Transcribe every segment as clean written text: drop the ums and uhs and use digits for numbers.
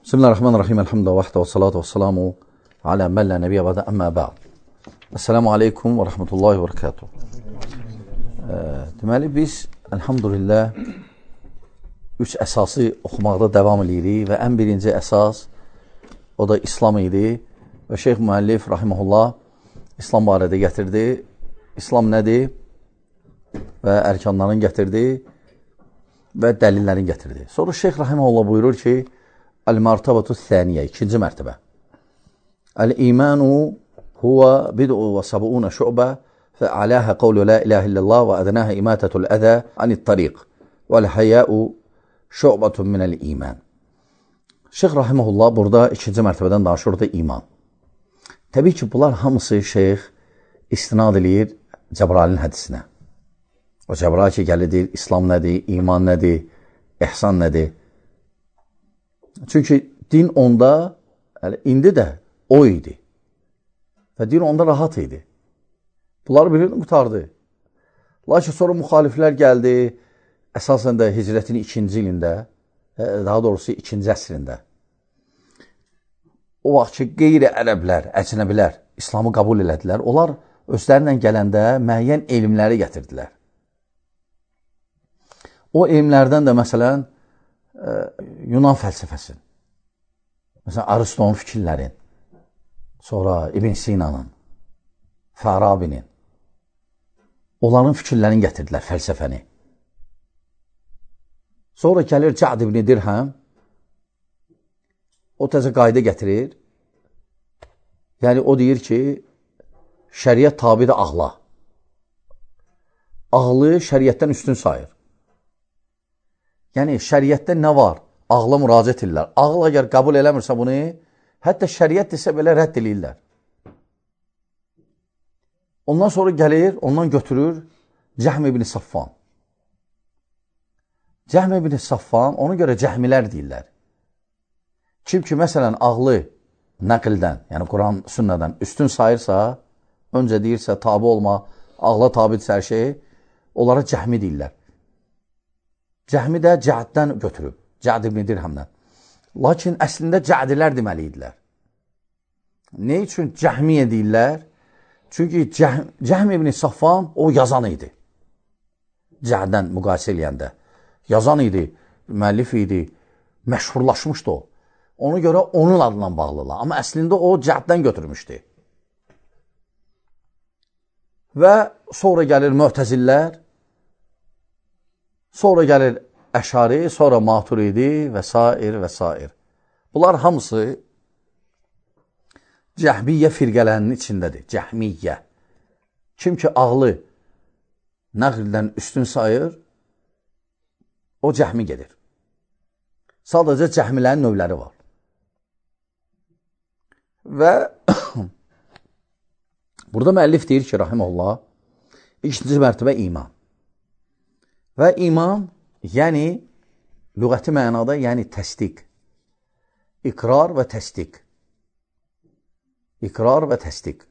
Bismillahirrahmanirrahim. Elhamdülillah vahdə və salatu və salamu alə mən lə nəbiyyə vədə əmmə bə'd. Esselamu aleykum və rəhmətullahi və rəkatuhu. Deməli, biz, elhamdülillah, 3 əsası oxumaqda davam edirik və ən birinci əsas, o da İslam idi və Şeyx Müəllif, rahiməhullah, İslam barədə gətirdi. İslam nədir? Və ərkanların gətirdi və dəlillərin gətirdi. Sonra Şeyx rahiməhullah buyurur ki, Əl-Mərtəbətü Thəniyyə, ikinci mərtəbə. Əl-İmanu huvə bid'u və səbu'unə şü'bə və aləhə qavlu la iləhə illallah və ədnəhə imatətul ədə anit-tariq və l-həyəu şü'bətun minəl-iman. Şeyx rahiməhullah burada ikinci mərtəbədən danışır da iman. Təbii ki, bunlar hamısı Şeyx istinad edir Cəbrailin hədisinə. O Cəbrail ki, gəlidir, İslam nədir, iman nədir, ihsan nədir? Çünki din onda, indi də o idi. Və din onda rahat idi. Bunları bilirdi, qutardı. Lakin sonra müxaliflər gəldi, əsasən də hicrətin 2-ci ilində, daha doğrusu 2-ci əsrində. O vaxt ki, qeyri-ərəblər, əcnəbilər İslamı qəbul elədilər. Onlar özlərindən gələndə müəyyən elmləri gətirdilər. O elmlərdən də məsələn, Yunan fəlsəfəsinin, məsələn, Aristonun fikirlərin, sonra İbn Sina'nın, Fərabinin, onların fikirlərini gətirdilər, fəlsəfəni. Sonra gəlir Cəd ibn Dirhəm, o təzə qayda gətirir, yəni o deyir ki, şəriət tabidir ağla. Ağlı şəriətdən üstün sayır. Yəni, şəriətdə nə var? Ağla müraciət edirlər. Ağıl əgər qəbul eləmirsə bunu, hətta şəriət desə belə rədd edirlər. Ondan sonra gəlir, ondan götürür Cəhm ibn Saffan. Cəhm ibn Saffan, ona görə cəhmilər deyirlər. Kim ki, məsələn, ağlı nəqildən, yəni Quran, sünnədən üstün sayırsa, öncə deyirsə, tabi olma, ağla tabidirsə hər şey, onlara cəhmi deyirlər. Cəhmi də Cəddən götürüb, Cəd ibn Dirhəmdən. Lakin əslində Cədilər deməli idilər. Ne üçün Cəhmiyə deyirlər? Çünki Cəhm ibn Saffan o yazan idi. Cəddən müqayisə eləyəndə. Yazan idi, müəllif idi, məşhurlaşmışdı o. Ona görə onun adından bağlılar. Amma əslində o Cəddən götürmüşdü. Və sonra gəlir Möhtəzillər, sonra gəlir Əşari, sonra Maturidi və s. Bunlar hamısı Cəhmiyyə firqələrinin içindədir. Cəhmiyyə. Kim ki, ağlı nəqldən üstün sayır, o cəhmi gedir. Sadəcə cəhmilərin növləri var. Və burada müəllif deyir ki, rahiməhullah, ikinci mərtəbə iman. Və iman, yəni, lüğəti mənada, yəni təsdiq. İqrar və təsdiq. İqrar və təsdiq.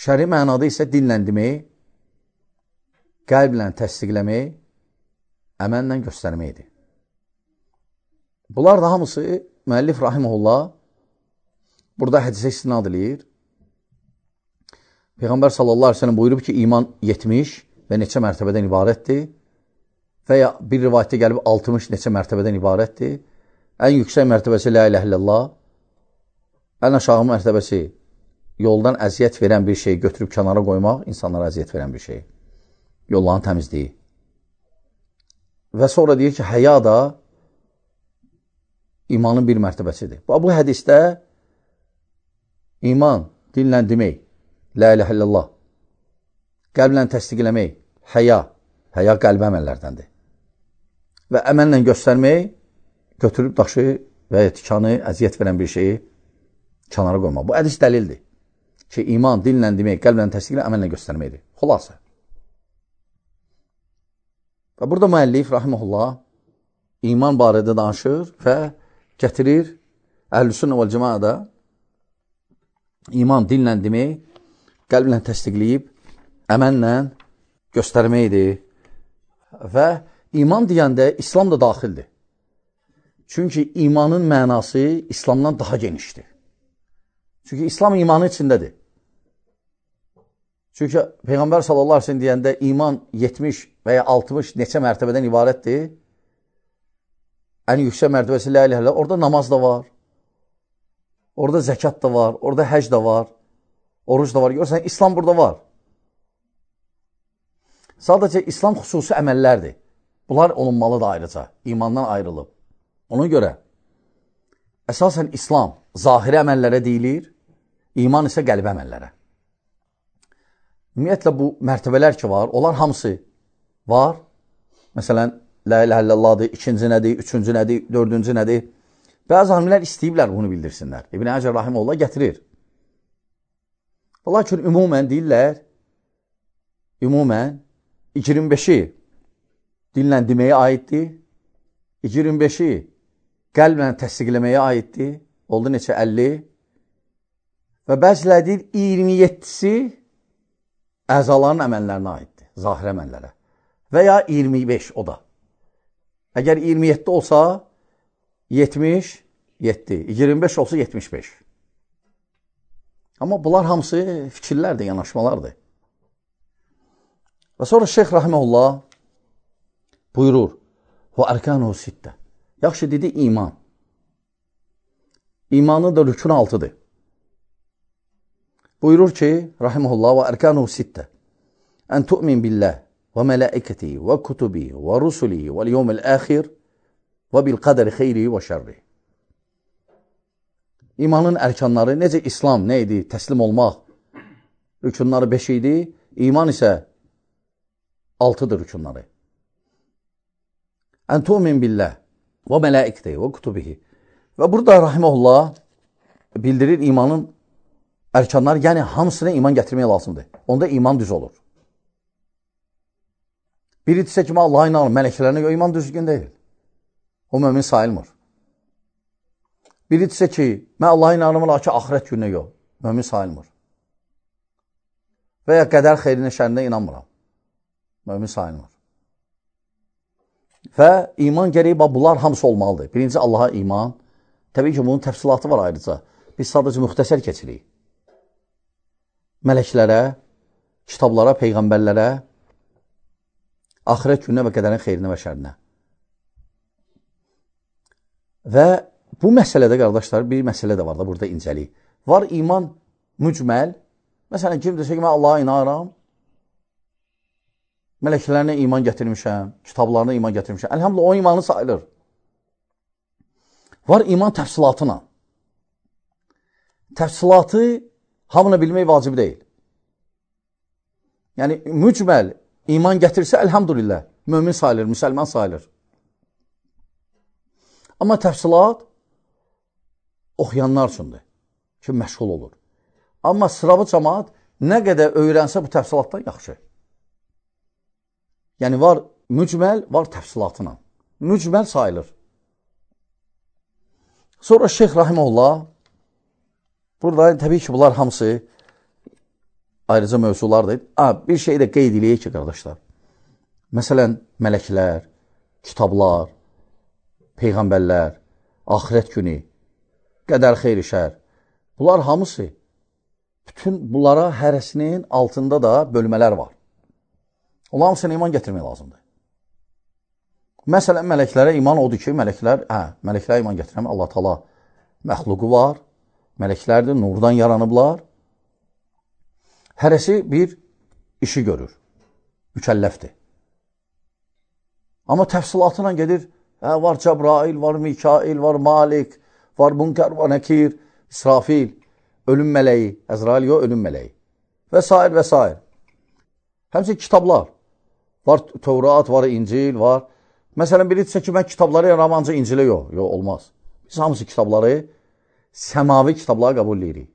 Şəri mənada isə dinlə demək, qəlblə təsdiqləmək, əməllə göstərməkdir. Bunlar da hamısı müəllif rahiməhullah burada hədisə istinad edir. Peyğəmbər sallallahu aleyhi ve sellem buyurub ki, iman 70 və neçə mərtəbədən ibarətdir. Və ya bir rivayətdə gəlib 60 neçə mərtəbədən ibarətdir. Ən yüksək mərtəbəsi la iləhə illallah, ən aşağı mərtəbəsi yoldan əziyyət verən bir şeyi götürüb kənara qoymaq, insanlara əziyyət verən bir şey. Yolların təmizliyi. Və sonra deyir ki, həya da imanın bir mərtəbəsidir. Bu hədisdə iman dinlə demək, la iləhə illallah, qəlblə təsdiqləmək, həya qəlbə əməllərdəndir. Və əməllə göstərmək, götürüb daşı və ya tikanı, əziyyət verən bir şeyi kənara qoymaq. Bu hədis dəlildir ki, iman dinlə demək, qəlblə təsdiqlə, əməllə göstərməkdir. Xulasa. Və burada müəllif, rahiməhullah, iman barədə danışır və gətirir Əhl-i-Sünnə vəl-Cəmaədə iman dinlə demək, qəlblə təsdiqləyib, əməllə göstərməkdir. Və iman deyəndə İslam da daxildir. Çünki imanın mənası İslamdan daha genişdir. Çünki İslam imanın içindədir. Çünki Peyğəmbər sallallahu aleyhi ve sellem deyəndə iman 70 və ya 60 neçə mərtəbədən ibarətdir. Ən yüksək mərtəbəsi la ilahe illallah. Orada namaz da var. Orada zəkat da var. Orada həc da var. Oruc da var. Görürsən, İslam burada var. Sadəcə İslam xüsusi əməllərdir. Bunlar olunmalıdır ayrıca. İmandan ayrılıb. Ona görə əsasən İslam zahiri əməllərə deyilir, iman isə qəlbi əməllərə. Ümumiyyətlə bu mərtəbələr ki var, onlar hamısı var. Məsələn, la ilahe illallahdır, ikinci nədir, üçüncü nədir, dördüncü nədir. Bəzi alimlər istəyiblər bunu bildirsinlər. İbn Həcər Rahiməhullah gətirir. Lakin ümumən deyirlər, ümumən 25-i dillə deməyə aiddir, 25-i qəlblə təsdiqləməyə aiddir, oldu neçə 50 və bəziləri deyir 27-si əzaların əməllərinə aiddir, zahir əməllərə və ya 25 o da. Əgər 27 olsa 77, 25 olsa 75. Amma bunlar hamısı fikirlərdir, yanaşmalardır. Və sonra Şeyx Rahiməhullah buyurur, və ərkanuhu sittə. Yaxşı, dedi iman. İmanı da rükün 6-dır. Buyurur ki, Rahiməhullah, və ərkanuhu sittə. Ən tu'min billah və mələikəti və kutubi və rusuli və l-yevmil əxir və bil qədəri xeyri və şərri. İmanın ərkanları, necə İslam nə idi? Təslim olmaq. Rükunları 5 idi. İman isə 6-dır rükunları. Ən tu'min billah və mələikəti və kutubihi. Və burada Rahiməhullah bildirir imanın ərkanları, yəni hamısına iman gətirmək lazımdır. Onda iman düz olur. Biri desə ki, Allah'a inanır, mələklərinə görə iman düzgün deyil. O mömin sayılmır. Biri desə ki, mən Allah'a inanırım, lakin axirət gününə yox, mömin sayılmır. Və ya qədər xeyrinə, şərinə inanmıram, mömin sayılmır. Və iman gərəyi bunlar hamısı olmalıdır. Birinci Allaha iman. Təbii ki, bunun təfsilatı var ayrıca. Biz sadəcə müxtəsər keçirik. Mələklərə, kitablara, peyğəmbərlərə, axirət gününə və qədərin xeyrinə və şərinə. Və bu məsələdə, qardaşlar, bir məsələ də var da burada incəlik. Var iman mücməl. Məsələn, kim desə ki, mən Allaha inanıram, mələklərinə iman gətirmişəm, kitablarına iman gətirmişəm. Əlhamdülillah, o imanı sayılır. Var iman təfsilatına. Təfsilatı hamına bilmək vacib deyil. Yəni, mücməl iman gətirsə, əlhamdülillah, mömin sayılır, müsəlman sayılır. Amma təfsilat oxuyanlar üçündür ki, məşğul olur. Amma sıravı cəmaat nə qədər öyrənsə bu təfsilatdan yaxşı. Yəni, var mücməl, var təfsilatına. Mücməl sayılır. Sonra Şeyx Rahiməhullah, burada təbii ki, bunlar hamısı ayrıca mövzulardır. Bir şey də qeyd eləyək ki, qardaşlar. Məsələn, mələklər, kitablar, peyğəmbərlər, axirət günü, qədər xeyri şər. Bunlar hamısı, bütün bunlara hərəsinin altında da bölmələr var. Onlar hamısına iman gətirmək lazımdır. Məsələn, mələklərə iman odur ki, mələklərə iman gətirəm. Allah Taala məxluqu var, mələklərdir, nurdan yaranıblar. Hərəsi bir işi görür, mükəlləfdir. Amma təfsilatına gedir, var Cəbrail, var Mikail, var Malik, var Munkar, var Nəkir, İsrafil, ölüm mələyi, Əzrail yox, ölüm mələyi və s. və s. Həmçinin kitablar. Var Tövrat, var İncil, var. Məsələn, biri desə ki, mən kitabları yaram, ancaq İncilə yox. Yox, olmaz. Biz hamısı kitabları, səmavi kitabları qəbul edirik.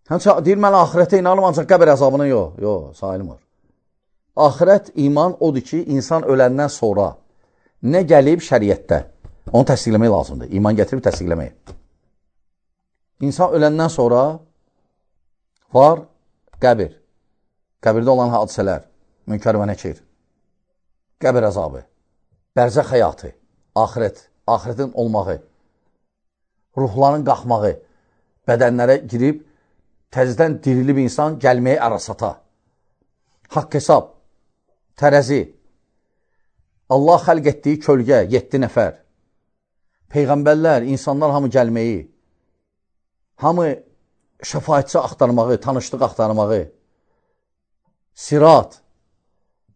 Həmçinin deyir, mən axirətə inanım, ancaq qəbir əzabına yox. Yox, sayılmır. Axirət iman odur ki, insan öləndən sonra nə gəlib şəriətdə? Onu təsdiqləmək lazımdır. İman gətirib təsdiqləmək. İnsan öləndən sonra var qəbir. Qəbirdə olan hadisələr, Münkar və Nəkir, qəbir əzabı, bərzəx həyatı, axirət, axirətin olmağı, ruhların qalxmağı, bədənlərə girib, təzədən dirilib insan gəlməyi arasata, haqq hesab, tərəzi, Allah xəlq etdiyi kölgə, 7 nəfər, peyğəmbərlər, insanlar hamı gəlməyi, hamı şəfaətçi axtarmağı, tanışlıq axtarmağı, sirat,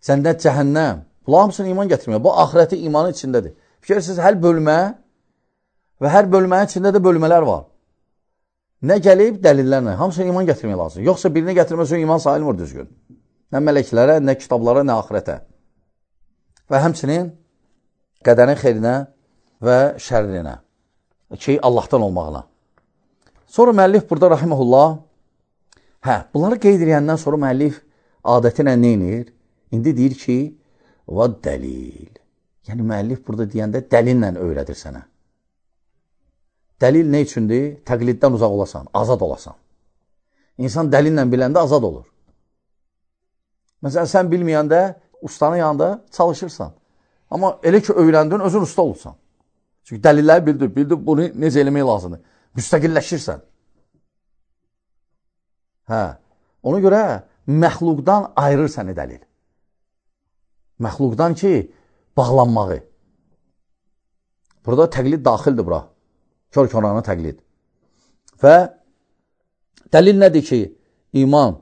cənnət, cəhənnəm, bunlar hamısını iman gətirmək. Bu, axirəti imanın içindədir. Fikirsiz, hər bölmə və hər bölmənin içində də bölmələr var. Nə gəlib? Dəlillərlə. Hamısını iman gətirmək lazım. Yoxsa birini gətirməsə iman sayılmır düzgün. Nə mələklərə, nə kitablara, nə axirətə. Və həmçinin qədərin xeyrinə və şərrinə. Ki, Allahdan olmağına. Sonra müəllif burada rahiməhullah, bunları qeyd edəndən sonra müəllif adətinə neynir? İndi deyir ki, və dəlil. Yəni, müəllif burada deyəndə dəlillə öyrədir sənə. Dəlil nə üçündür? Təqliddən uzaq olasan, azad olasan. İnsan dəlillə biləndə azad olur. Məsələn, sən bilməyəndə, ustanın yanında çalışırsan. Amma elə ki, öyrəndin, özün usta olursan. Çünki dəlilləri bildir, bunu necə eləmək lazımdır. Müstəqilləşirsən. Ona görə məxluqdan ayırır səni dəlil. Məxluqdan ki, bağlanmağı. Burada təqlid daxildir bura. Kör-körana təqlid. Və dəlil nədir ki, iman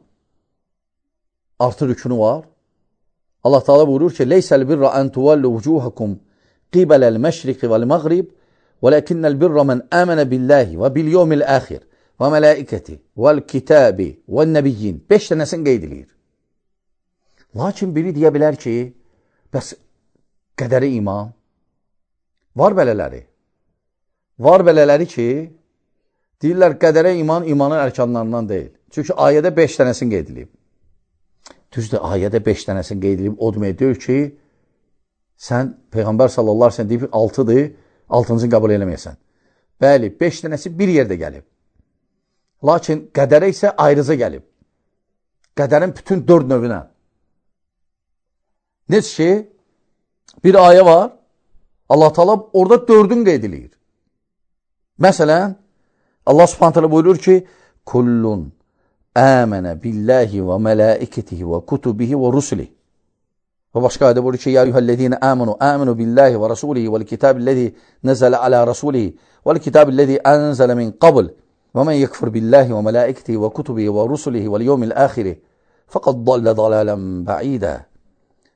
artı rükünü var. Allah Teala buyurur ki, Leysəl birra ən tuvallu vucuhakum qibələl məşriqi vəl-məğrib vələkinnəl birra mən əmənə billahi və bil-yevmil əxir və mələikəti vəl-kitabi vəl-nəbiyyin 5 dənəsini qeyd edir. Lakin biri deyə bilər ki, bəs qədəri iman var belələri. Var belələri ki, deyirlər qədərə iman imanın ərkanlarından deyil. Çünki ayədə 5 dənəsini qeyd edilib. Düzdür, ayədə 5 dənəsini qeyd edilib, o demək deyir ki, sən Peyğəmbər sallallahu aleyhi ve sellem deyib 6-dır, 6-cını qəbul eləməyəsən. Bəli, 5 dənəsi bir yerdə gəlib. Lakin qədərə isə ayrıca gəlib. Qədərin bütün 4 növünə. Necə ki, bir ayə var, Allah Teala orada 4'ün qeyd edilir. Məsələn, Allah Subhanahu taala buyurur ki, kullun əmənə billahi və mələikətihi və kutubihi və rusulihi. Və başqa ayədə buyurur ki, ya eyyuhəl-ləzīnə əmənu billahi və rasulihi vəl kitabil-ləzî nəzələ alə rasulihi vəl kitabil-ləzî ənzələ min qabl və mən yekfur billahi və mələikətihi və kutubihi və rusulihi vəl yevmil əxiri fəqad dallə dalalən bə'idə.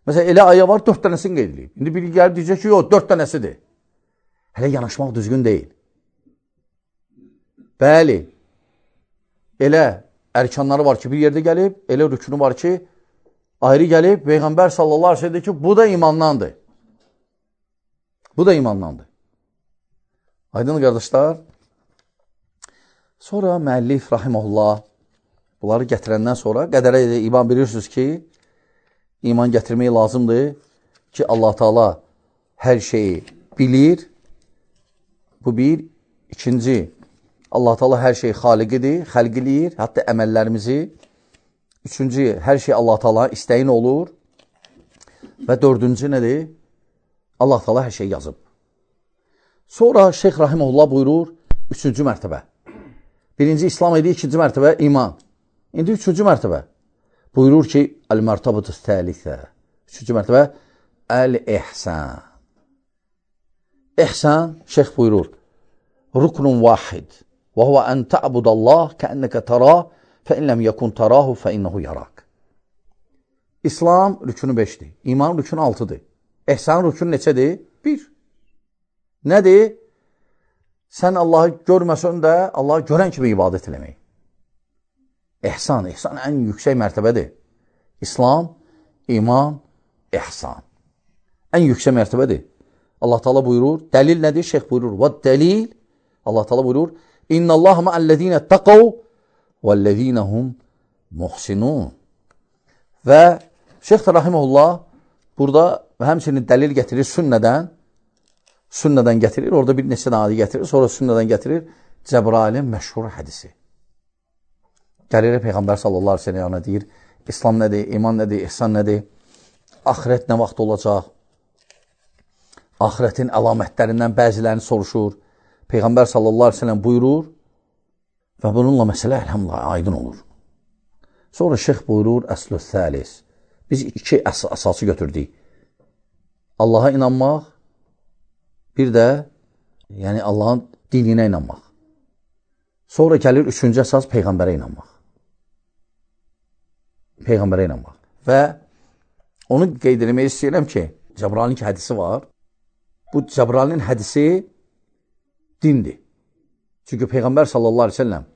Məsələn, elə ayə var, 4 dənəsini qeyd edilib. İndi biri gəlib deyəcək ki, yox, 4 dənəsidir. Hələ yanaşmaq düzgün deyil. Bəli, elə ərkanları var ki, bir yerdə gəlib, elə rükünü var ki, ayrı gəlib, Peyğəmbər sallallahu aleyhi ve sellem deyir ki, bu da imandandır. Bu da imandandır. Aydın qardaşlar, sonra müəllif rahiməhullah bunları gətirəndən sonra qədərə iman bilirsiniz ki, iman gətirmək lazımdır ki, Allah Teala hər şeyi bilir. Bu bir. İkinci, Allah Teala hər şey xaliqidir, xəlq eləyir, hətta əməllərimizi. Üçüncü, hər şey Allah Teala istəyin olur. Və 4-cü nədir? Allah Teala hər şey yazıb. Sonra Şeyx Rahiməhullah buyurur, 3-cü mərtəbə. Birinci İslam idi, 2-ci mərtəbə iman. İndi 3-cü mərtəbə. Buyurur ki, əl-mərtabətus təlisə. 3-cü mərtəbə, əl-ihsan. İhsan, Şeyx buyurur, ruknun vahid. Və huvə ən tə'budallah kəənnəkə tərah fə in ləm yəkun tərahu fə innəhu yarak. İslam rükünü 5'dir. İman rükünü 6'dır. İhsan rükünü neçədir? 1. Nədir? Sən Allahı görməsən də Allahı görən kimi ibadət eləmək. İhsan ən yüksək mərtəbədir. İslam, iman, ihsan. Ən yüksək mərtəbədir. Allah Teala buyurur, dəlil nədir? Şeyx buyurur, və dəlil, Allah Teala buyurur, İnnəllaha ma'əl-ləzīnə təqəv vəl-ləzīnəhum muhsinun. Və Şeyx Rahiməhullah burada həmçinin dəlil gətirir sünnədən gətirir, orada bir neçə adı gətirir, sonra sünnədən gətirir Cəbrailin məşhur hədisi. Gəlir Peyğəmbər sallallahu aleyhi ve sellem deyir, İslam nədir, iman nədir, ihsan nədir, axirət nə vaxt olacaq Ahirətin əlamətlərindən bəzilərini soruşur. Peyğəmbər sallallahu aleyhi ve sellem buyurur və bununla məsələ əlhamdülillah aydın olur. Sonra şeyx buyurur, əslü thəlis. Biz iki əsası götürdük. Allaha inanmaq, bir də yəni Allahın dininə inanmaq. Sonra gəlir üçüncü əsas Peyğəmbərə inanmaq. Peyğəmbərə inanmaq. Və onu qeyd etmək istəyirəm ki, Cəbrayilin hədisi var. Bu Cəbrayilin hədisi dindir. Çünki Peyğəmbər sallallahu aleyhi ve sellem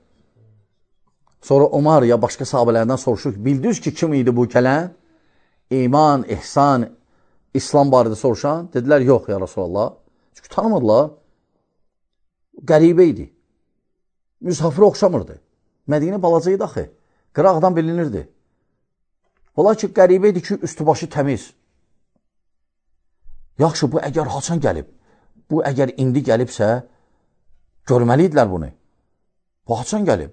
sonra Umar ya başqa sahabələrdən soruşur ki, bildiniz ki, kim idi bu gələn? İman, ihsan, İslam barədə soruşan. Dedilər, yox ya Rasulallah. Çünki tanımadılar. Qəribə idi. Müsafirə oxşamırdı. Mədinə balaca idi axı. Qıraqdan bilinirdi. Ola ki, qəribə idi ki, üstü başı təmiz. Yaxşı, bu əgər haçan gəlib, bu əgər indi gəlibsə, görməli idilər bunu. Bu haçan gəlib.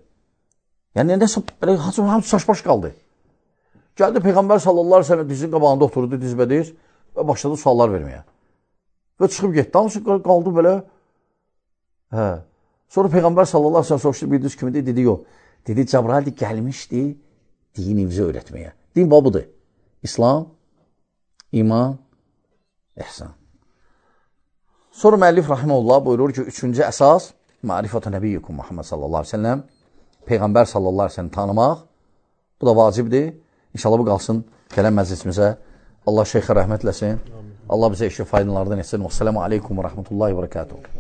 Yəni, nəsə, hamısı saç-baş qaldı. Gəldi Peyğəmbər sallallahu aleyhi ve sellem dizin qabağında oturdu, dizbədiz və başladı suallar verməyə. Və çıxıb getdi, hamısı qaldı belə. Sonra Peyğəmbər sallallahu aleyhi ve sellem soruşdu, bildiniz kimidir? Dedi, yox. Dedi, Cəbrail gəlmişdi dinimizi öyrətməyə. Din babıdır. İslam, iman, ihsan. Sonra müəllif rahimehullah buyurur ki, üçüncü əsas ma'rifatu nəbiyyukum Muhammed sallallahu aleyhi ve sellem, Peyğəmbər sallallahu aleyhi ve sellem tanımaq. Bu da vacibdir. İnşallah bu qalsın gələn məclisimizə. Allah şeyxə rəhmət eləsin. Allah bizə işi faydalardan etsin. Vəssalamu aleykum və rəhmətullahi və bərəkatuhu.